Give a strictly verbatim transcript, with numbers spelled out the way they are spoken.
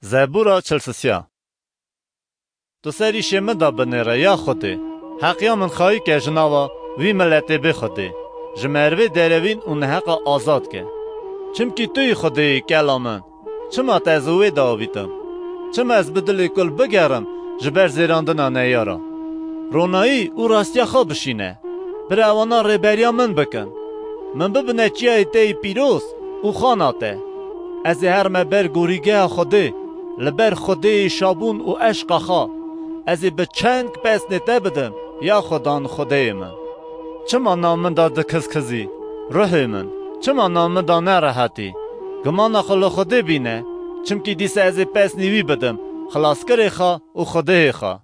Zebûra çil sisiya. Tu ser îşê min de binêre, ya Xwedê. Heqiya min xayî ke ji nava wî miletê bê Xwedê, ji merivê derevîn û neheqa azad ke. Çimkî tu yî Xwedê yî, kela min. Çima te ez û wê de avîtim? Çima ez bi dilê kul bigerim ji ber zêrandina neyara? Ronayî û rastiya xwe bişîne. Bira wana rêberiya min bikin. Min bibine çiyayê te yî pîroz û xana te. Ez ê herime ber gorîgeha Xwedê, li ber Xwedê yê şabûn û eşqa xwe. Ez ê bi çend pesnê te bidim, ya Xudan Xwedêyê min. Çima nav min de dikizkizî, ruhê min? Çima nav min de nerehetî? Gimana xwe li Xwedê bîne, çimkî dîsa ez ê pesnî wî bidim, xilaskirê xwe û Xwedêyê xwe.